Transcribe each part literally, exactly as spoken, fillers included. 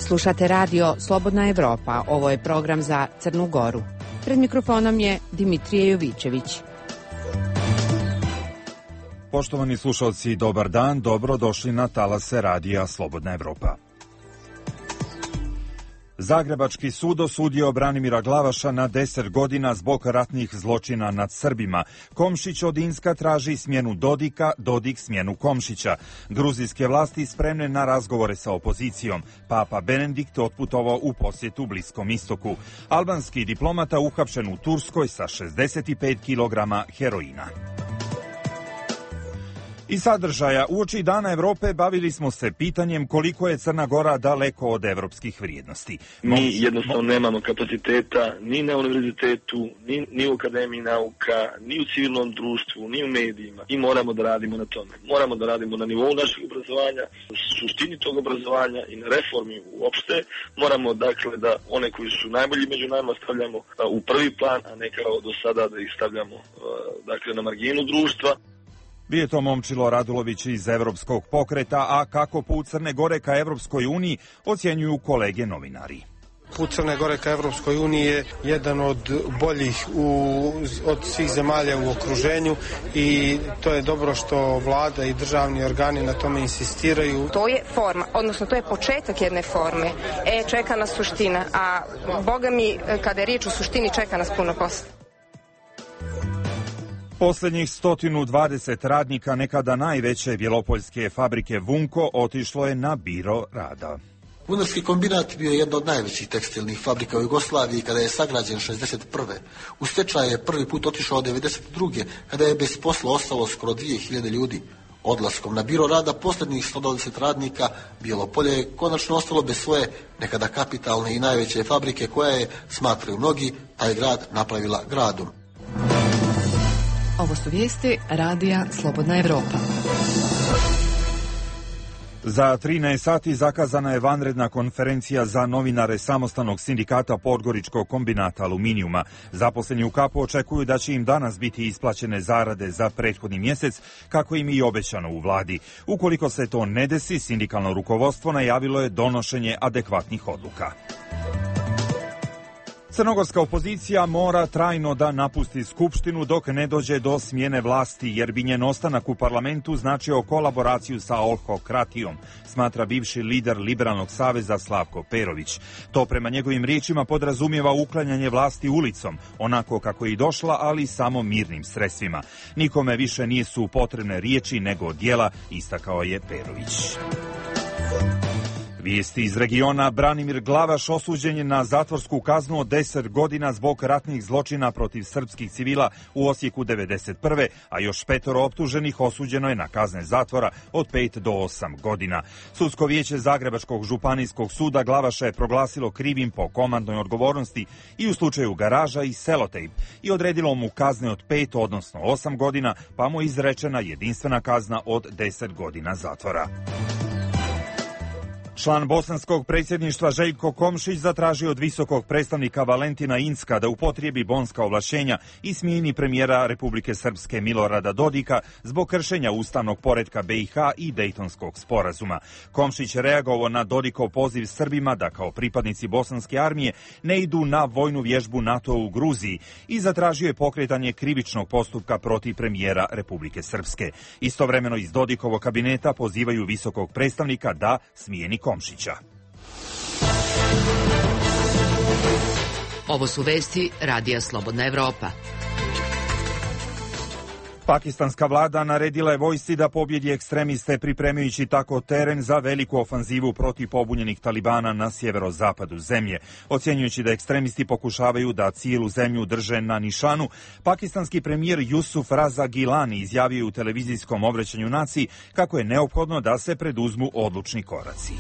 Slušate radio Slobodna Evropa. Ovo je program za Crnu Goru. Pred mikrofonom je Dimitrije Jovićević. Poštovani slušalci, dobar dan, dobro došli na talase radija Slobodna Evropa. Zagrebački sud osudio Branimira Glavaša na deset godina zbog ratnih zločina nad Srbima. Komšić od Inska traži smjenu Dodika, Dodik smjenu Komšića. Gruzijske vlasti spremne na razgovore sa opozicijom. Papa Benedikt otputovao u posjetu Bliskom istoku. Albanski diplomata uhapšen u Turskoj sa šezdeset pet kilograma heroina. I sadržaja. Uoči Dana Evrope bavili smo se pitanjem koliko je Crna Gora daleko od evropskih vrijednosti. Mi jednostavno nemamo kapaciteta ni na univerzitetu, ni, ni u akademiji nauka, ni u civilnom društvu, ni u medijima. I moramo da radimo na tome. Moramo da radimo na nivou našeg obrazovanja, suštini tog obrazovanja i na reformi uopšte. Moramo, dakle, da one koji su najbolji među nama stavljamo u prvi plan, a ne kao do sada da ih stavljamo, dakle, na marginu društva. Bio je to Momčilo Radulović iz Evropskog pokreta, a kako put Crne Gore ka Evropskoj uniji ocjenjuju kolege novinari. Put Crne Gore ka Evropskoj uniji je jedan od boljih u, od svih zemalja u okruženju i to je dobro što vlada i državni organi na tome insistiraju. To je forma, odnosno to je početak jedne forme. E, čeka nas suština, a Boga mi, kada je riječ o suštini, čeka nas puno posla. Posljednjih sto dvadeset radnika nekada najveće bjelopoljske fabrike Vunko otišlo je na biro rada. Vunarski kombinat bio je jedna od najvećih tekstilnih fabrika u Jugoslaviji kada je sagrađen šezdeset prve. U stečaj je prvi put otišao devedeset druge kada je bez posla ostalo skoro dvije hiljade ljudi. Odlaskom na biro rada posljednjih sto dvadeset radnika Bjelopolje je konačno ostalo bez svoje nekada kapitalne i najveće fabrike koja je, smatraju mnogi, taj grad napravila gradom. Ovo su vijesti radija Slobodna Evropa. Za trinaest sati zakazana je vanredna konferencija za novinare Samostalnog sindikata Podgoričkog kombinata aluminijuma. Zaposleni u kapu očekuju da će im danas biti isplaćene zarade za prethodni mjesec, kako im i obećano u vladi. Ukoliko se to ne desi, sindikalno rukovodstvo najavilo je donošenje adekvatnih odluka. Crnogorska opozicija mora trajno da napusti Skupštinu dok ne dođe do smjene vlasti, jer bi njen ostanak u parlamentu značio kolaboraciju sa olhokratijom, smatra bivši lider Liberalnog saveza Slavko Perović. To prema njegovim riječima podrazumijeva uklanjanje vlasti ulicom, onako kako je i došla, ali samo mirnim sredstvima. Nikome više nisu potrebne riječi nego djela, istakao je Perović. Vijesti iz regiona. Branimir Glavaš osuđen je na zatvorsku kaznu od deset godina zbog ratnih zločina protiv srpskih civila u Osijeku devedeset prve, a još petoro optuženih osuđeno je na kazne zatvora od pet do osam godina. Sudsko vijeće Zagrebačkog županijskog suda Glavaša je proglasilo krivim po komandnoj odgovornosti i u slučaju Garaža i Selotejp i odredilo mu kazne od pet, odnosno osam godina, pa mu je izrečena jedinstvena kazna od deset godina zatvora. Član bosanskog predsjedništva Željko Komšić zatražio od visokog predstavnika Valentina Inzka da upotrijebi bonska ovlašćenja i smijeni premijera Republike Srpske Milorada Dodika zbog kršenja ustavnog poretka be i ha i Dejtonskog sporazuma. Komšić je reagovao na Dodikov poziv Srbima da kao pripadnici bosanske armije ne idu na vojnu vježbu NATO u Gruziji i zatražio je pokretanje krivičnog postupka protiv premijera Republike Srpske. Istovremeno iz Dodikovog kabineta pozivaju visokog predstavnika da smijeni Komšića. Ovo su vesti radija Slobodna Evropa. Pakistanska vlada naredila je vojsci da pobjedi ekstremiste, pripremajući tako teren za veliku ofanzivu protiv pobunjenih talibana na sjeverozapadu zemlje. Ocjenjujući da ekstremisti pokušavaju da cijelu zemlju drže na nišanu, pakistanski premijer Jusuf Raza Gilani izjavio u televizijskom obraćanju naciji kako je neophodno da se preduzmu odlučni koraci.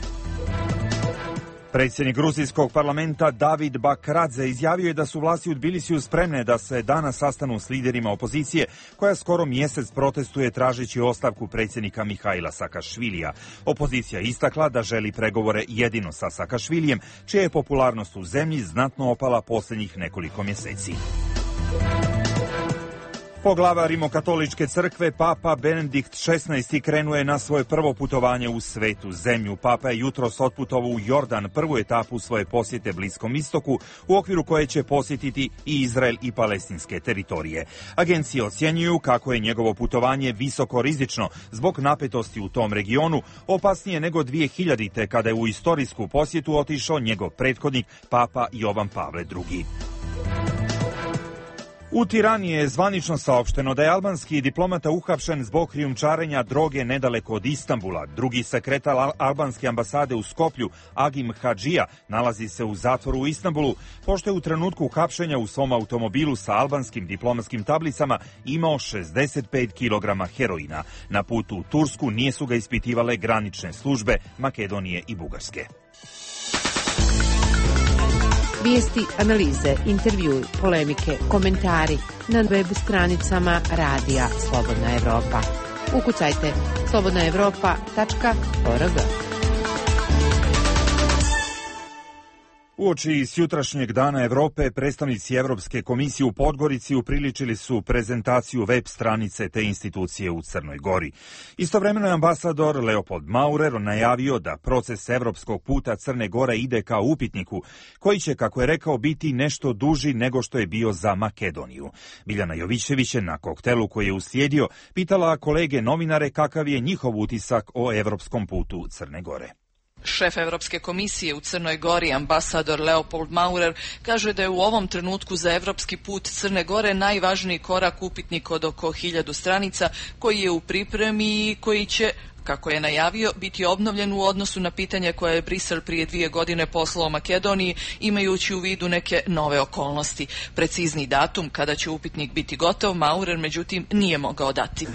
Predsjednik gruzijskog parlamenta David Bakradze izjavio je da su vlasti u Tbilisiju spremne da se danas sastanu s liderima opozicije, koja skoro mjesec protestuje tražeći ostavku predsjednika Mihajla Sakašvilija. Opozicija je istakla da želi pregovore jedino sa Sakašvilijem, čija je popularnost u zemlji znatno opala posljednjih nekoliko mjeseci. Poglava Rimokatoličke crkve, Papa Benedikt šesnaesti krenuo je na svoje prvo putovanje u svetu zemlju. Papa je jutros otputovao u Jordan, prvu etapu svoje posjete Bliskom istoku, u okviru koje će posjetiti i Izrael i palestinske teritorije. Agencije ocjenjuju kako je njegovo putovanje visoko rizično zbog napetosti u tom regionu, opasnije nego dvije hiljadite kada je u istorijsku posjetu otišao njegov prethodnik, Papa Jovan Pavle drugi. U Tirani je zvanično saopšteno da je albanski diplomata uhapšen zbog krijumčarenja droge nedaleko od Istanbula. Drugi sekretar albanske ambasade u Skoplju, Agim Hadžija, nalazi se u zatvoru u Istanbulu, pošto je u trenutku hapšenja u svom automobilu sa albanskim diplomatskim tablicama imao šezdeset pet kilograma heroina. Na putu u Tursku nije su ga ispitivale granične službe Makedonije i Bugarske. Vijesti, analize, intervjui, polemike, komentari na web stranicama Radija Slobodna Evropa. Ukucajte slobodna evropa tačka org. Uoči sjutrašnjeg dana Evrope, predstavnici Evropske komisije u Podgorici upriličili su prezentaciju web stranice te institucije u Crnoj Gori. Istovremeno je ambasador Leopold Maurer najavio da proces evropskog puta Crne Gore ide kao upitniku, koji će, kako je rekao, biti nešto duži nego što je bio za Makedoniju. Biljana Jovićević je na koktelu koji je uslijedio pitala kolege novinare kakav je njihov utisak o evropskom putu Crne Gore. Šef Evropske komisije u Crnoj Gori, ambasador Leopold Maurer, kaže da je u ovom trenutku za evropski put Crne Gore najvažniji korak upitnik od oko hiljadu stranica koji je u pripremi i koji će, kako je najavio, biti obnovljen u odnosu na pitanje koje je Brisel prije dvije godine poslao Makedoniji, imajući u vidu neke nove okolnosti. Precizni datum kada će upitnik biti gotov, Maurer međutim nije mogao dati.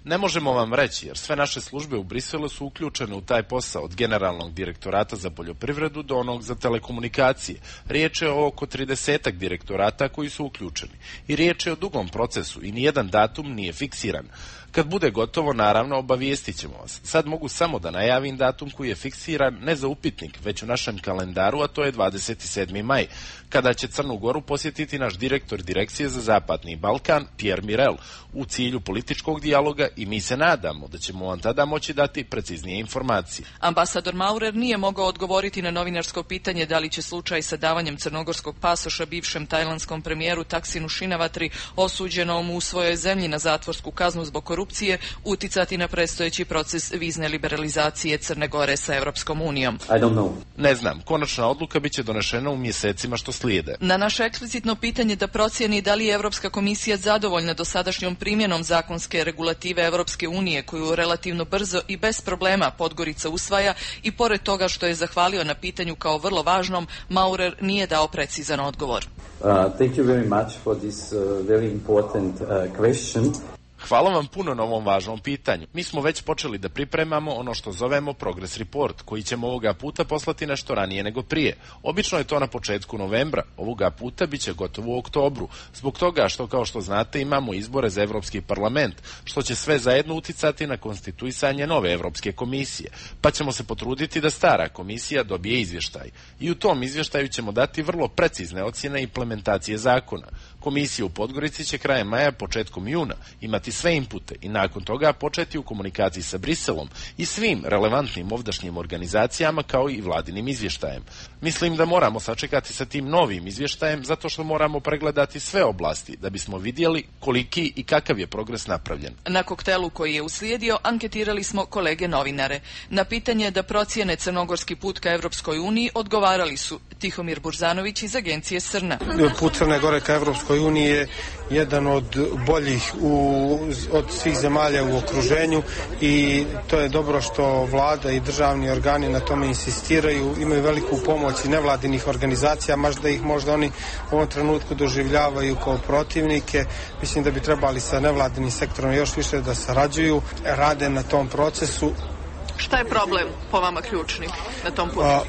Ne možemo vam reći, jer sve naše službe u Briselu su uključene u taj posao, od generalnog direktorata za poljoprivredu do onog za telekomunikacije. Riječ je o oko tridesetak direktorata koji su uključeni. I riječ je o dugom procesu i nijedan datum nije fiksiran. Kad bude gotovo, naravno, obavijestit ćemo vas. Sad mogu samo da najavim datum koji je fiksiran ne za upitnik, već u našem kalendaru, a to je dvadeset sedmi maj, kada će Crnu Goru posjetiti naš direktor Direkcije za Zapadni Balkan, Pierre Mirel, u cilju političkog dijaloga i mi se nadamo da ćemo vam tada moći dati preciznije informacije. Ambasador Maurer nije mogao odgovoriti na novinarsko pitanje da li će slučaj sa davanjem crnogorskog pasoša bivšem tajlandskom premijeru Taksinu Šinavatri, osuđenom u svojoj zemlji na zatvorsku kaznu zbog korupcije, uticati na predstojeći proces vizne liberalizacije Crne Gore sa Evropskom unijom. Ne znam, konačna odluka biće donešena u mjesecima što slijede. Na naše eksplicitno pitanje da procjeni da li je Evropska komisija zadovoljna dosadašnjom primjenom zakonske regulative Evropske unije, koju relativno brzo i bez problema Podgorica usvaja, i pored toga što je zahvalio na pitanju kao vrlo važnom, Maurer nije dao precizan odgovor. Uh, thank you very much for this uh, very important uh, question. Hvala vam puno na ovom važnom pitanju. Mi smo već počeli da pripremamo ono što zovemo Progress Report, koji ćemo ovoga puta poslati nešto ranije nego prije. Obično je to na početku novembra, ovoga puta bit će gotovo u oktobru, zbog toga što, kao što znate, imamo izbore za Evropski parlament, što će sve zajedno uticati na konstituisanje nove Evropske komisije, pa ćemo se potruditi da stara komisija dobije izvještaj. I u tom izvještaju ćemo dati vrlo precizne ocjene implementacije zakona. Komisija u Podgorici će krajem maja, početkom juna imati sve inpute i nakon toga početi u komunikaciji sa Briselom i svim relevantnim ovdašnjim organizacijama kao i vladinim izvještajem. Mislim da moramo sačekati sa tim novim izvještajem zato što moramo pregledati sve oblasti da bismo vidjeli koliki i kakav je progres napravljen. Na koktelu koji je uslijedio anketirali smo kolege novinare. Na pitanje da procijene crnogorski put ka Evropskoj uniji odgovarali su Tihomir Burzanović iz agencije Srna. Put Crne Gore ka Evropskoj uniji je jedan od boljih u, od svih zemalja u okruženju i to je dobro što vlada i državni organi na tome insistiraju, imaju veliku pomoć i nevladinih organizacija, možda ih možda oni u ovom trenutku doživljavaju kao protivnike. Mislim da bi trebali sa nevladinim sektorom još više da sarađuju, rade na tom procesu Šta je problem po vama ključni na tom putu? A,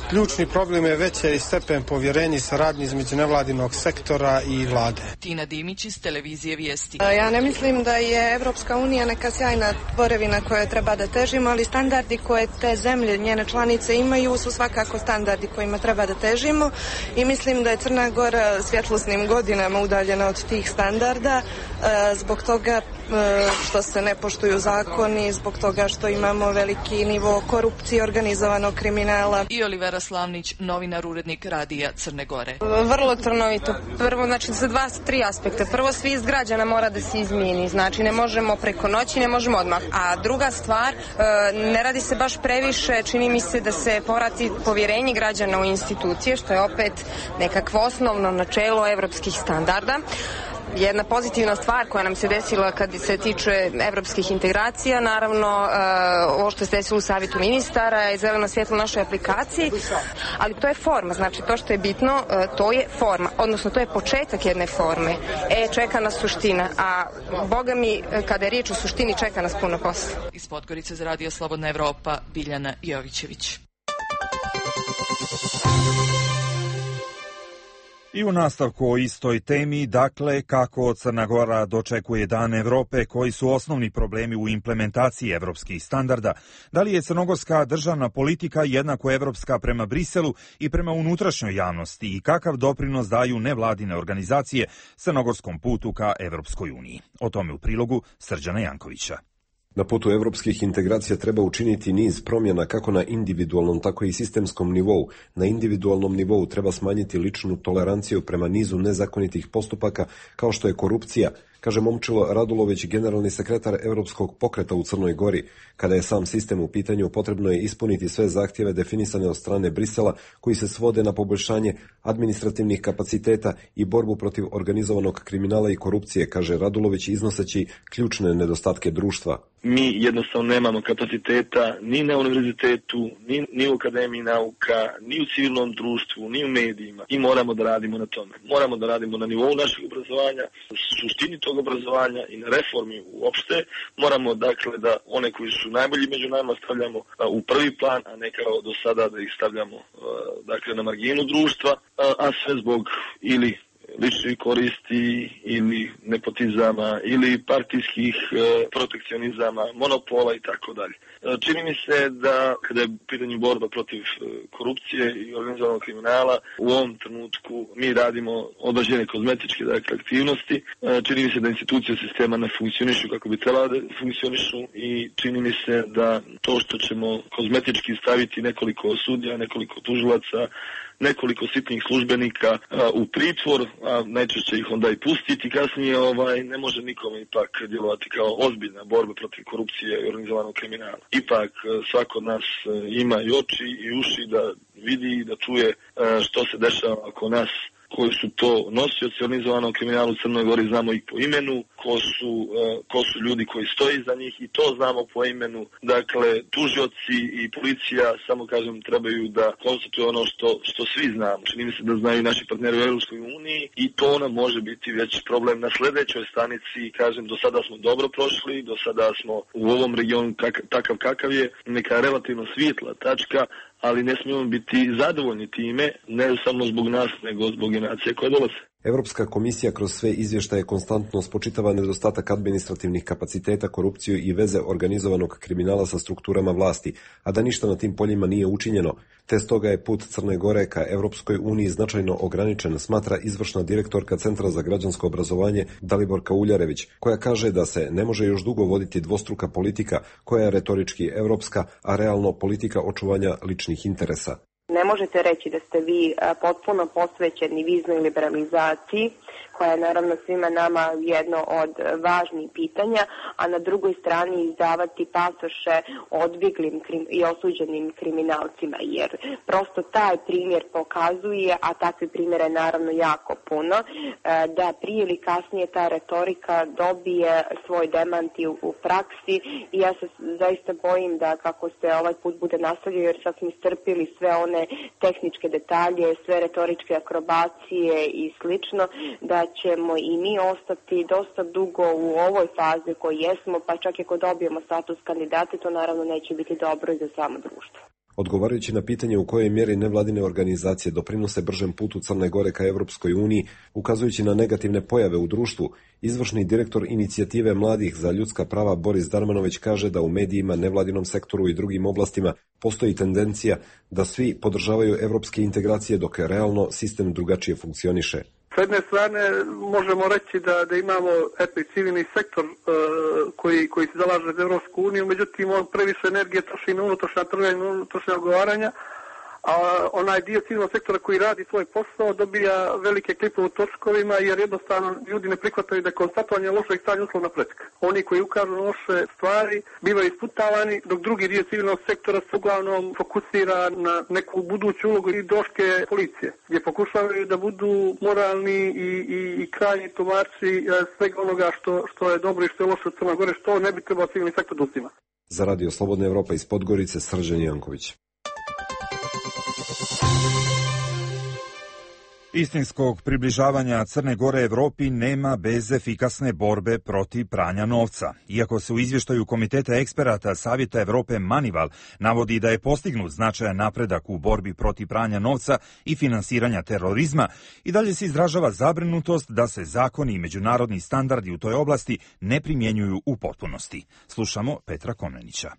ključni problem je veći stepen povjerenja i saradnje između nevladinog sektora i vlade. Tina Dimić iz televizije Vijesti. Ja ne mislim da je Evropska unija neka sjajna tvorevina koje treba da težimo, ali standardi koje te zemlje, njene članice imaju su svakako standardi kojima treba da težimo i mislim da je Crna Gora svjetlosnim godinama udaljena od tih standarda zbog toga što se ne poštuju zakoni, zbog toga što imamo veliki nivo korupcije, organizovanog kriminala. I Olivera Slavnić, novinar, urednik Radija Crne Gore. Vrlo trnovito. Prvo, znači, sa dva, tri aspekta. Prvo, svijest građana mora da se izmijeni. Znači, ne možemo preko noći, ne možemo odmah. A druga stvar, ne radi se baš previše, čini mi se da se povrati povjerenje građana u institucije, što je opet nekakvo osnovno načelo evropskih standarda. Jedna pozitivna stvar koja nam se desila kad se tiče evropskih integracija, naravno ovo što se desilo u Savjetu ministara je zeleno svjetlo našoj aplikaciji, ali to je forma, znači to što je bitno, to je forma, odnosno to je početak jedne forme. E, čeka nas suština, a boga mi, kada je riječ o suštini, čeka nas puno posla. Iz Podgorice za Radio Slobodna Evropa, Biljana Jovićević. I u nastavku o istoj temi, dakle, kako Crna Gora dočekuje Dan Evrope, koji su osnovni problemi u implementaciji evropskih standarda, da li je crnogorska državna politika jednako evropska prema Briselu i prema unutrašnjoj javnosti i kakav doprinos daju nevladine organizacije crnogorskom putu ka Evropskoj uniji. O tome u prilogu Srđana Jankovića. Na putu evropskih integracija treba učiniti niz promjena kako na individualnom, tako i sistemskom nivou. Na individualnom nivou treba smanjiti ličnu toleranciju prema nizu nezakonitih postupaka kao što je korupcija, kaže Momčilo Radulović, generalni sekretar Evropskog pokreta u Crnoj Gori. Kada je sam sistem u pitanju, potrebno je ispuniti sve zahtjeve definisane od strane Brisela, koji se svode na poboljšanje administrativnih kapaciteta i borbu protiv organizovanog kriminala i korupcije, kaže Radulović, iznoseći ključne nedostatke društva. Mi jednostavno nemamo kapaciteta ni na univerzitetu, ni, ni u akademiji nauka, ni u civilnom društvu, ni u medijima i moramo da radimo na tome. Moramo da radimo na nivou našeg obrazovanja, suštini tog obrazovanja i na reformi uopšte. Moramo, dakle, da one koji su najbolji među nama stavljamo u prvi plan, a ne kao do sada da ih stavljamo, dakle, na marginu društva, a sve zbog ili ličnih koristi ili nepotizama ili partijskih e, protekcionizama, monopola i tako dalje. Čini mi se da kada je u pitanju borba protiv korupcije i organizovanog kriminala, u ovom trenutku mi radimo određene kozmetičke, dakle, aktivnosti. Čini mi se da institucije sistema ne funkcionišu kako bi trebala da funkcionišu i čini mi se da to što ćemo kozmetički staviti nekoliko sudija, nekoliko tužilaca, nekoliko sitnih službenika a, u pritvor, a najčešće ih onda i pustiti kasnije, ovaj, ne može nikome ipak djelovati kao ozbiljna borba protiv korupcije i organizovanog kriminala. Ipak svako od nas ima i oči i uši da vidi i da čuje a, što se dešava oko nas, koji su to nosioci organizovanog kriminala u Crnoj Gori, znamo ih po imenu, ko su, uh, ko su ljudi koji stoji iza njih i to znamo po imenu. Dakle, tužioci i policija, samo kažem, trebaju da konstatuju ono što, što svi znamo. Čini mi se da znaju naši partneri u Europskoj uniji i to nam može biti već problem na sljedećoj stanici. Kažem, do sada smo dobro prošli, do sada smo u ovom regionu kak, takav kakav je, neka relativno svijetla tačka, ali ne smijemo biti zadovoljni time, ne samo zbog nas, nego zbog generacije koje dolaze. Europska komisija kroz sve izvještaje konstantno spočitava nedostatak administrativnih kapaciteta, korupciju i veze organizovanog kriminala sa strukturama vlasti, a da ništa na tim poljima nije učinjeno, te stoga je put Crne Gore ka Europskoj uniji značajno ograničen, smatra izvršna direktorka Centra za građansko obrazovanje Daliborka Uljarević, koja kaže da se ne može još dugo voditi dvostruka politika koja je retorički europska, a realno politika očuvanja ličnih interesa. Ne možete reći da ste vi potpuno posvećeni viznoj liberalizaciji, koja je naravno svima nama jedno od važnijih pitanja, a na drugoj strani izdavati pasoše odbjeglim i osuđenim kriminalcima, jer prosto taj primjer pokazuje, a takvi primjera je naravno jako puno, da prije ili kasnije ta retorika dobije svoj demanti u praksi i ja se zaista bojim da kako se ovaj put bude nastavio, jer sad smo istrpili sve one tehničke detalje, sve retoričke akrobacije i slično, da ćemo i mi ostati dosta dugo u ovoj fazi koji jesmo, pa čak i ako dobijemo status kandidata, to naravno neće biti dobro i za samo društvo. Odgovarajući na pitanje u kojoj mjeri nevladine organizacije doprinose bržem putu Crne Gore ka Evropskoj uniji, ukazujući na negativne pojave u društvu, izvršni direktor inicijative mladih za ljudska prava Boris Darmanović kaže da u medijima, nevladinom sektoru i drugim oblastima postoji tendencija da svi podržavaju evropske integracije dok je realno sistem drugačije funkcioniše. S jedne strane možemo reći da, da imamo eto, civilni sektor uh, koji, koji se zalaže za Evropsku uniju, međutim on previše energije troši na unutrašnja trganja, na unutrašnja ogovaranja, a onaj dio civilnog sektora koji radi svoj posao dobija velike klipove u točkovima jer jednostavno ljudi ne prihvataju da je konstatovanje lošeg stanja uslovna prepreka. Oni koji ukažu na loše stvari bivaju isputavani, dok drugi dio civilnog sektora se uglavnom fokusira na neku buduću ulogu i doške policije, gdje pokušavaju da budu moralni i, i, i krajnji tumači svega onoga što, što je dobro i što je loše u Crnoj Gori, što ne bi trebao civilni sektor da uzima. Za Radio Slobodna Evropa iz Podgorice, Srđan Janković. Istinskog približavanja Crne Gore Evropi nema bez efikasne borbe protiv pranja novca. Iako se u izvještaju Komiteta eksperata Savjeta Evrope Manival navodi da je postignut značajan napredak u borbi protiv pranja novca i finansiranja terorizma, i dalje se izražava zabrinutost da se zakoni i međunarodni standardi u toj oblasti ne primjenjuju u potpunosti. Slušamo Petra Komnenića.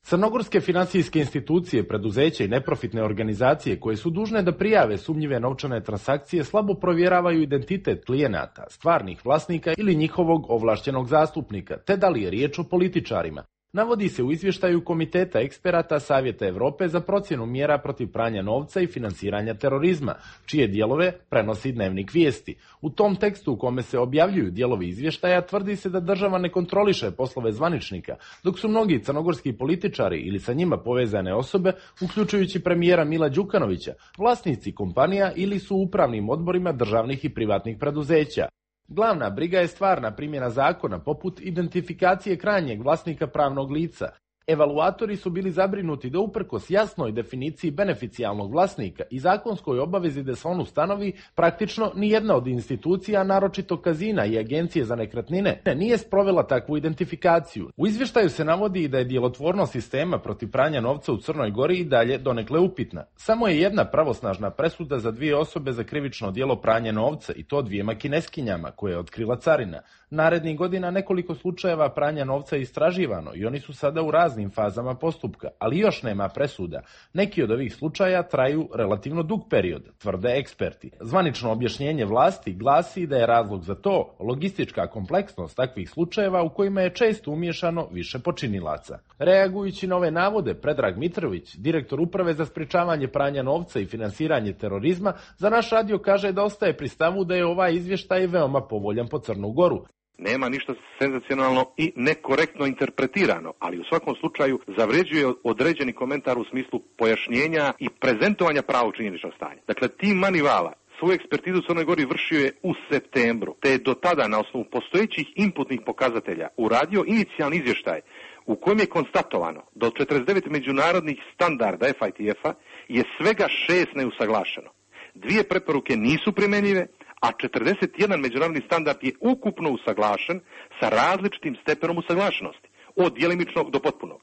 Crnogorske finansijske institucije, preduzeća i neprofitne organizacije koje su dužne da prijave sumnjive novčane transakcije slabo provjeravaju identitet klijenata, stvarnih vlasnika ili njihovog ovlašćenog zastupnika, te da li je riječ o političarima. Navodi se u izvještaju Komiteta eksperata Savjeta Evrope za procjenu mjera protiv pranja novca i finansiranja terorizma, čije dijelove prenosi Dnevnik vijesti. U tom tekstu u kome se objavljuju dijelovi izvještaja tvrdi se da država ne kontroliše poslove zvaničnika, dok su mnogi crnogorski političari ili sa njima povezane osobe, uključujući premijera Mila Đukanovića, vlasnici kompanija ili su u upravnim odborima državnih i privatnih preduzeća. Glavna briga je stvarna primjena zakona, poput identifikacije krajnjeg vlasnika pravnog lica. Evaluatori su bili zabrinuti da uprkos jasnoj definiciji beneficijalnog vlasnika i zakonskoj obavezi da se on ustanovi, praktično nijedna od institucija, naročito kazina i agencije za nekretnine, nije sprovela takvu identifikaciju. U izvještaju se navodi da je djelotvornost sistema protiv pranja novca u Crnoj Gori i dalje donekle upitna. Samo je jedna pravosnažna presuda za dvije osobe za krivično djelo pranja novca, i to dvijema Kineskinjama koje je otkrila carina. Narednih godina nekoliko slučajeva pranja novca je istraživano i oni su sada u raznim fazama postupka, ali još nema presuda. Neki od ovih slučaja traju relativno dug period, tvrde eksperti. Zvanično objašnjenje vlasti glasi da je razlog za to logistička kompleksnost takvih slučajeva u kojima je često umiješano više počinilaca. Reagujući na ove navode, Predrag Mitrović, direktor Uprave za sprječavanje pranja novca i finansiranje terorizma, za naš radio kaže da ostaje pri stavu da je ovaj izvještaj veoma povoljan po Crnu Goru. Nema ništa senzacionalno i nekorektno interpretirano, ali u svakom slučaju zavređuje određeni komentar u smislu pojašnjenja i prezentovanja pravog činjeničnog stanja. Dakle, tim Manivala svoju ekspertizu u Crnoj Gori vršio je u septembru, te je do tada na osnovu postojećih inputnih pokazatelja uradio inicijalni izvještaj u kojem je konstatovano da od četrdeset devet međunarodnih standarda F I T F-a je svega šest neusaglašeno. Dvije preporuke nisu primjenjive, a četrdeset jedan međunarodni standard je ukupno usaglašen sa različitim stepenom usaglašenosti, od djelimičnog do potpunog.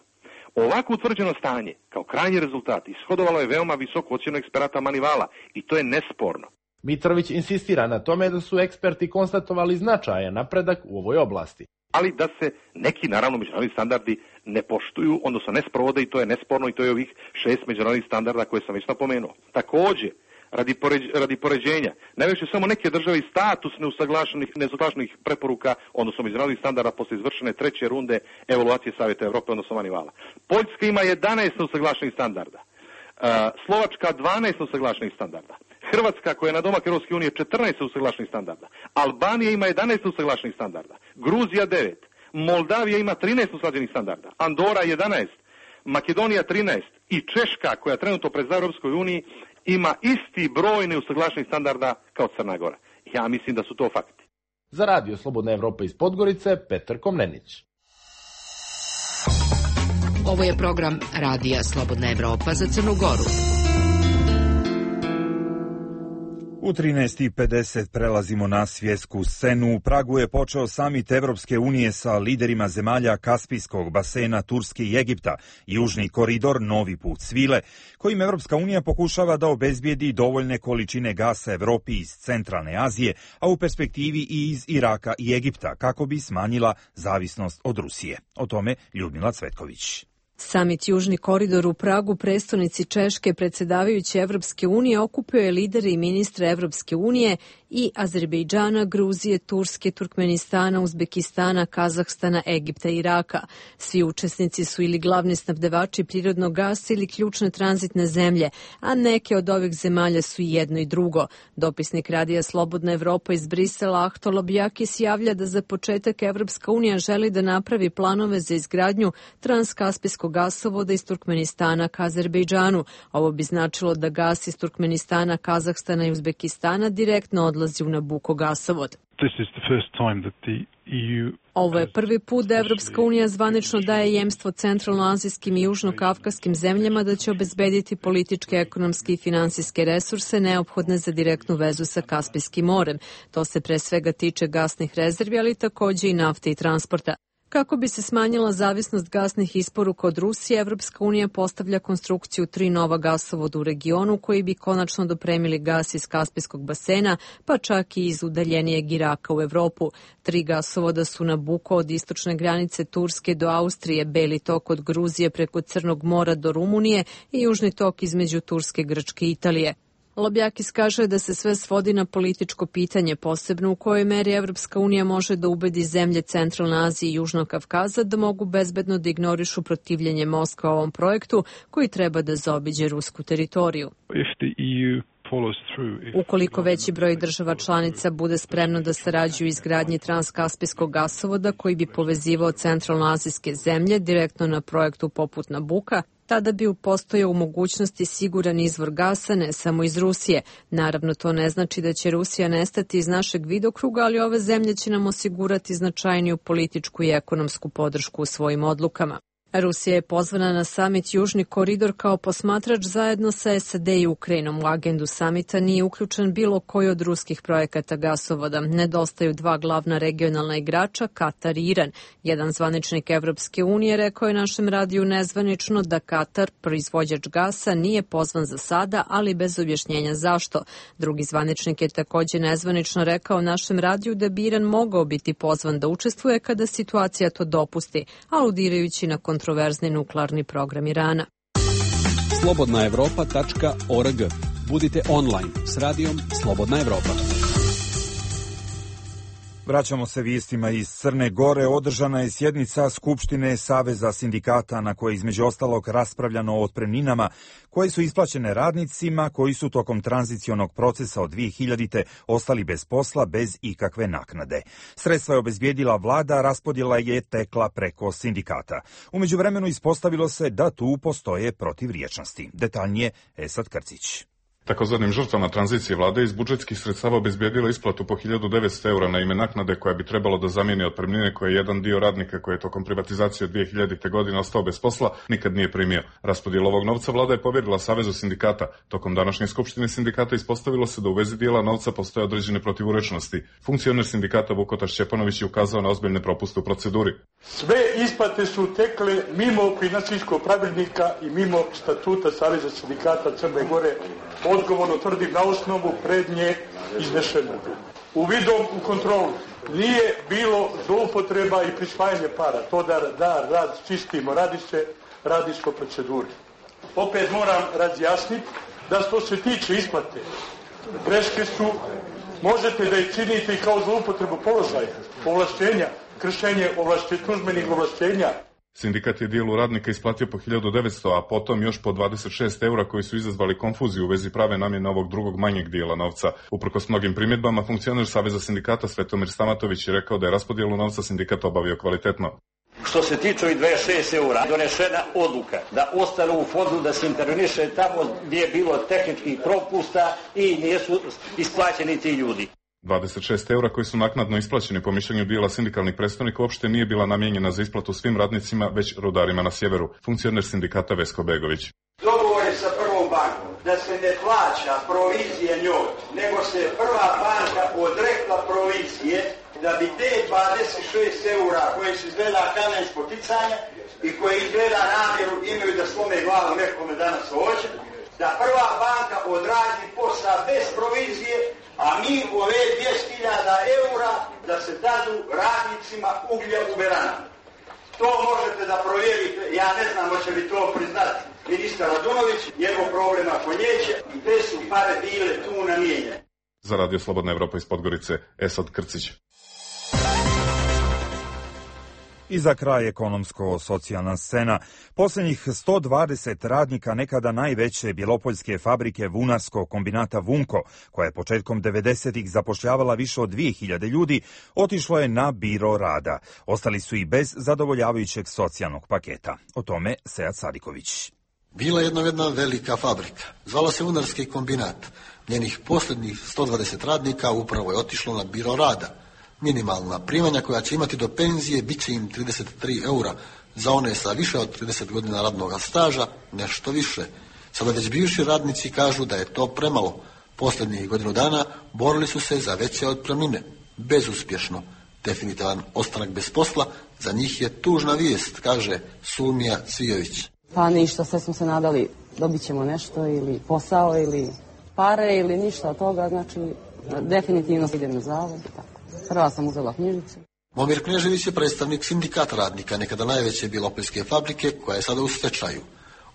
Ovako utvrđeno stanje, kao krajnji rezultat, ishodovalo je veoma visoku ocjenu eksperata Manivala i to je nesporno. Mitrović insistira na tome da su eksperti konstatovali značajan napredak u ovoj oblasti. Ali da se neki, naravno, međunarodni standardi ne poštuju, odnosno ne sprovode, i to je nesporno, i to je ovih šest međunarodnih standarda koje sam već napomenuo. Također, Radi, poređ, radi poređenja, najviše samo neke države i status neusaglašenih, neusaglašenih preporuka, odnosno međunarodnih standarda posle izvršene treće runde evaluacije Savjeta Evrope, odnosno Manivala. Poljska ima jedanaest neusaglašenih standarda, uh, Slovačka dvanaest neusaglašenih standarda, Hrvatska koja je na domak Europske unije četrnaest neusaglašenih standarda, Albanija ima jedanaest neusaglašenih standarda, Gruzija devet, Moldavija ima trinaest neusaglašenih standarda, Andora jedanaest, Makedonija trinaest i Češka koja trenutno predsjedava Europskoj uniji ima isti broj neusaglašenih standarda kao Crna Gora. Ja mislim da su to fakti. Za Radio Slobodna Evropa iz Podgorice, Petar Komnenić. Ovo je program Radija Slobodna Evropa za Crnu Goru. U trinaest i pedeset prelazimo na svjetsku scenu. U Pragu je počeo samit Evropske unije sa liderima zemalja Kaspijskog basena, Turske i Egipta, južni koridor Novi put svile, kojim Evropska unija pokušava da obezbijedi dovoljne količine gasa Evropi iz centralne Azije, a u perspektivi i iz Iraka i Egipta, kako bi smanjila zavisnost od Rusije. O tome Ljudmila Cvetković. Samit Južni koridor u Pragu, prestonici Češke, predsjedavajući Evropske unije, okupio je lidere i ministre Evropske unije i Azerbejdžana, Gruzije, Turske, Turkmenistana, Uzbekistana, Kazahstana, Egipta i Iraka. Svi učesnici su ili glavni snabdevači prirodnog gasa ili ključne tranzitne zemlje, a neke od ovih zemalja su i jedno i drugo. Dopisnik Radija Slobodna Evropa iz Brisela, Ahto Lobjakis, javlja da za početak Evropska unija želi da napravi planove za izgradnju transkaspijskog gasovoda iz Turkmenistana ka Azerbejdžanu. Ovo bi značilo da gas iz Turkmenistana, Kazahstana i Uzbekistana direktno odlazi u Nabuko gasovod. Ovo je prvi put da Evropska unija zvanično daje jemstvo centralnoazijskim i južnokavkaskim zemljama da će obezbediti političke, ekonomske i finansijske resurse neophodne za direktnu vezu sa Kaspijskim morem. To se pre svega tiče gasnih rezervi, ali takođe i nafte i transporta. Kako bi se smanjila zavisnost gasnih isporuka od Rusije, Evropska unija postavlja konstrukciju tri nova gasovoda u regionu koji bi konačno dopremili gas iz Kaspijskog basena, pa čak i iz udaljenijeg Iraka u Evropu. Tri gasovoda su Nabuko od istočne granice Turske do Austrije, Beli tok od Gruzije preko Crnog mora do Rumunije i Južni tok između Turske, Grčke i Italije. Lobjakis kaže da se sve svodi na političko pitanje, posebno u kojoj meri Evropska unija može da ubedi zemlje Centralne Azije i Južnog Kavkaza da mogu bezbedno da ignorišu protivljenje Moskva ovom projektu koji treba da zaobiđe rusku teritoriju. Ukoliko veći broj država članica bude spremno da sarađuju u izgradnji transkaspijskog gasovoda koji bi povezivao centralnoazijske zemlje direktno na projektu poput Nabuka, tada bi postojao u mogućnosti siguran izvor gasa ne samo iz Rusije. Naravno, to ne znači da će Rusija nestati iz našeg vidokruga, ali ove zemlje će nam osigurati značajniju političku i ekonomsku podršku u svojim odlukama. Rusija je pozvana na samit Južni koridor kao posmatrač zajedno sa S A D i Ukrajinom. U agendu samita nije uključen bilo koji od ruskih projekata gasovoda. Nedostaju dva glavna regionalna igrača, Katar i Iran. Jedan zvaničnik Evropske unije rekao je našem radiju nezvanično da Katar, proizvođač gasa, nije pozvan za sada, ali bez objašnjenja zašto. Drugi zvaničnik je takođe nezvanično rekao našem radiju da bi Iran mogao biti pozvan da učestvuje kada situacija to dopusti, aludirajući na kontroverzni nuklearni program Irana. slobodna evropa tačka org. Budite online s radijom Slobodna Evropa. Vraćamo se vijestima iz Crne Gore. Održana je sjednica Skupštine Saveza sindikata na kojoj između ostalog raspravljano o otpremninama koje su isplaćene radnicima koji su tokom tranzicionog procesa od dvije hiljadite ostali bez posla bez ikakve naknade. Sredstva je obezbijedila vlada, raspodjela je tekla preko sindikata. U međuvremenu ispostavilo se da tu postoje protivriječnosti. Detaljnije Esad Krcić. Takozvanim žrtvama tranzicije vlada iz budžetskih sredstava obezbijedila isplatu po hiljadu devetsto eura na ime naknade koja bi trebalo da zamijeni otpremnine koje jedan dio radnika koji je tokom privatizacije od dvije hiljadite godine ostao bez posla nikad nije primio. Raspodjelu ovog novca vlada je povjerila Savezu sindikata. Tokom današnje skupštine sindikata ispostavilo se da u vezi dijela novca postoje određene protivurečnosti. Funkcioner sindikata Vukota Šćepanović je ukazao na ozbiljne propuste u proceduri. Sve isplate su tekle mimo finansijskog pravilnika i mimo statuta Saveza sindikata Crne Gore. Odgovorno tvrdim na osnovu prednje iznešenog. Uvidom u kontrolu nije bilo zloupotreba i prisvajanje para. To da, da rad čistimo, radi se, radi se o proceduri. Opet moram razjasniti da što se tiče isplate, greške su, možete da ih činite i kao zloupotrebu položaja, ovlašćenja, kršenje ovlašćenja, službenih ovlašćenja. Sindikat je dijelu radnika isplatio po hiljadu devetsto, a potom još po dvadeset šest eura koji su izazvali konfuziju u vezi prave namjene ovog drugog manjeg dijela novca. Uprkos mnogim primjedbama, funkcioner Saveza sindikata Svetomir Stamatović je rekao da je raspodjelu novca sindikat obavio kvalitetno. Što se tiče ovih dvadeset šest eura, donešena odluka da ostanu u fondu, da se interveniše tamo gdje je bilo tehničkih propusta i nisu isplaćeni ti ljudi. dvadeset šest eura koji su naknadno isplaćeni po mišljenju dijela sindikalnih predstavnika uopšte nije bila namijenjena za isplatu svim radnicima, već rudarima na sjeveru. Funkcioner sindikata Vesko Begović. Dogovor je sa prvom bankom da se ne plaća provizija njoj, nego se prva banka odrekla provizije da bi te dvadeset šest eura koje su izgleda kamen spoticanja i koje izgleda namjeru imaju da slome glavu nekome danas hoće, da prva banka odradi posla bez provizije, a mi ove dvjesto hiljada eura da se dadu radnicima uglja u Beranama. To možete da provjerite, ja ne znam hoće li to priznati ministar Radunović, njegov problem ako neće, i te su pare bile tu namijenjene. Za Radio Slobodna Evropa iz Podgorice, Esad Krcić. I za kraj ekonomsko-socijalna scena. Posljednjih sto dvadeset radnika nekada najveće bjelopoljske fabrike vunarskog kombinata Vunko, koja je početkom devedesetih zapošljavala više od dvije hiljade ljudi, otišlo je na biro rada. Ostali su i bez zadovoljavajućeg socijalnog paketa. O tome Sead Sadiković. Bila je jedna, jedna velika fabrika. Zvala se Vunarski kombinat. Njenih posljednjih sto dvadeset radnika upravo je otišlo na biro rada. Minimalna primanja koja će imati do penzije bit će im trideset tri eura, za one sa više od trideset godina radnog staža nešto više. Sada već bivši radnici kažu da je to premalo. Posljednjih godinu dana borili su se za veće otpremnine. Bezuspješno. Definitivan ostanak bez posla za njih je tužna vijest, kaže Sulmija Cvijović. Pa ništa, sve smo se nadali, dobit ćemo nešto ili posao ili pare ili ništa od toga, znači definitivno idem na zavod i tako. Prva sam uzela knjižicu. Momir Knežević je predstavnik sindikata radnika, nekada najveće bjelopoljske fabrike, koja je sada u stečaju.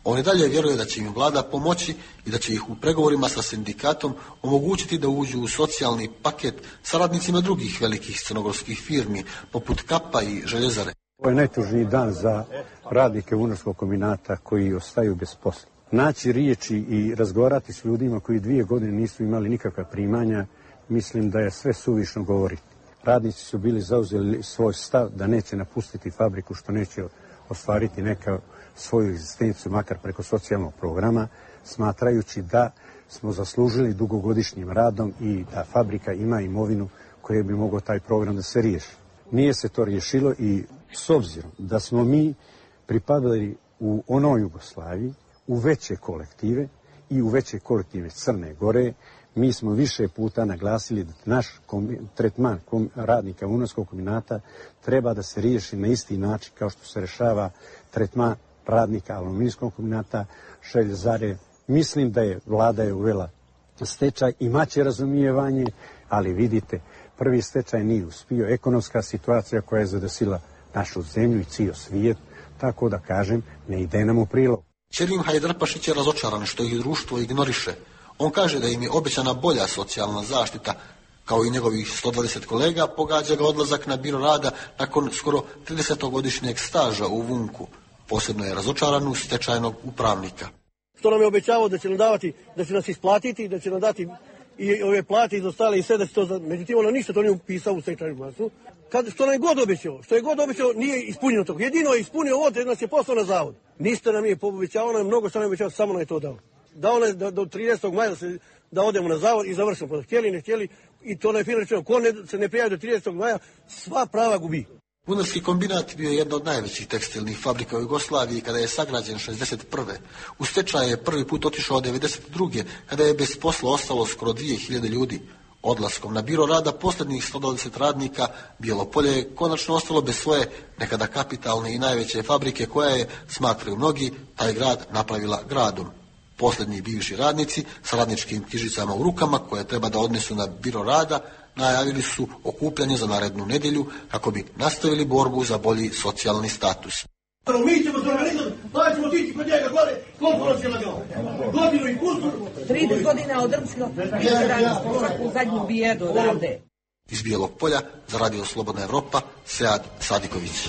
On i dalje vjeruje da će im vlada pomoći i da će ih u pregovorima sa sindikatom omogućiti da uđu u socijalni paket sa radnicima drugih velikih crnogorskih firmi, poput Kapa i Željezare. Ovo je najtužniji dan za radnike Vunarskog kombinata koji ostaju bez posla. Naći riječi i razgovarati s ljudima koji dvije godine nisu imali nikakva primanja, mislim da je sve suvišno govoriti. Radnici su bili zauzeli svoj stav da neće napustiti fabriku, što neće ostvariti neka svoju egzistenciju, makar preko socijalnog programa, smatrajući da smo zaslužili dugogodišnjim radom i da fabrika ima imovinu koje bi mogao taj program da se riješi. Nije se to riješilo i s obzirom da smo mi pripadali u onoj Jugoslaviji, u veće kolektive i u veće kolektive Crne Gore, mi smo više puta naglasili da naš tretman radnika Vunarskog kombinata treba da se riješi na isti način kao što se rešava tretman radnika Aluminijskog kombinata, Željezare. Mislim da je vlada je uvela stečaj, imaće razumijevanje, ali vidite, prvi stečaj nije uspio. Ekonomska situacija koja je zadesila našu zemlju i cijel svijet, tako da kažem, ne ide nam u prilog. Ćerim Hajdarpašić je razočaran što ih društvo ignoriše. On kaže da im je obećana bolja socijalna zaštita, kao i njegovih sto dvadeset kolega, pogađa ga odlazak na biro rada nakon skoro tridesetogodišnjeg staža u Vunku. Posebno je razočaran u stečajnog upravnika. Što nam je obećavao da će nam davati, da će nas isplatiti, da će nam dati i ove plate izostale i sve da će to, međutim ono ništa to nije upisao u stečajnu masu. Kad, što nam je god obećao, što je god obećao nije ispunjeno to. Jedino je ispunio ovo da nas je poslao na zavod. Ništa nam je obećao, nam je mnogo što nam je obećao, samo nam je to dao. Dao nam da do tridesetog maja da, se, da odemo na zavod i završimo. Htjeli, ne htjeli i to je fino rečeno. Ko ne, se ne prijavi do tridesetog maja, sva prava gubi. Vunarski kombinat bio je jedna od najvećih tekstilnih fabrika u Jugoslaviji kada je sagrađen šezdeset prve. U stečaj je prvi put otišao devedeset druge kada je bez posla ostalo skoro dvije hiljade ljudi. Odlaskom na biro rada posljednjih sto dvadeset radnika Bjelopolje je konačno ostalo bez svoje nekada kapitalne i najveće fabrike koja je, smatraju mnogi, taj grad napravila gradom. Posljednji bivši radnici sa radničkim knjižicama u rukama koje treba da odnesu na biro rada najavili su okupljanje za narednu nedjelju kako bi nastavili borbu za bolji socijalni status. Mi ćemo se organizati, pa ćemo otići kod njega gore, koliko nas je lagao? Godinu i kusur. trideset godina odrmskog, više radi u zadnju bijedu odavde. Iz Bijelog Polja za Radio Slobodna Evropa, Sead Sadiković.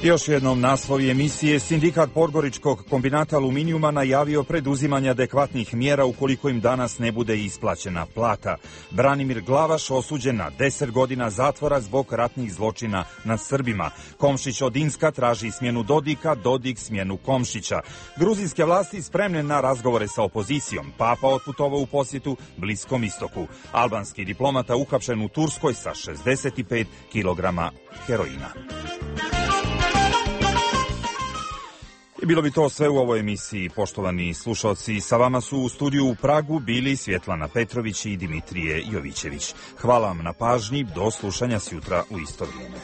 Još jednom naslovi emisije. Sindikat Podgoričkog kombinata aluminijuma najavio preduzimanje adekvatnih mjera ukoliko im danas ne bude isplaćena plata. Branimir Glavaš osuđen na deset godina zatvora zbog ratnih zločina nad Srbima. Komšić od Inska traži smjenu Dodika, Dodik smjenu Komšića. Gruzijske vlasti spremne na razgovore sa opozicijom. Papa otputovao u posjetu Bliskom istoku. Albanski diplomata uhapšen u Turskoj sa šezdeset pet kilograma heroina. Bilo bi to sve u ovoj emisiji, poštovani slušalci. Sa vama su u studiju u Pragu bili Svjetlana Petrović i Dimitrije Jovićević. Hvala vam na pažnji, do slušanja sjutra u isto vrijeme.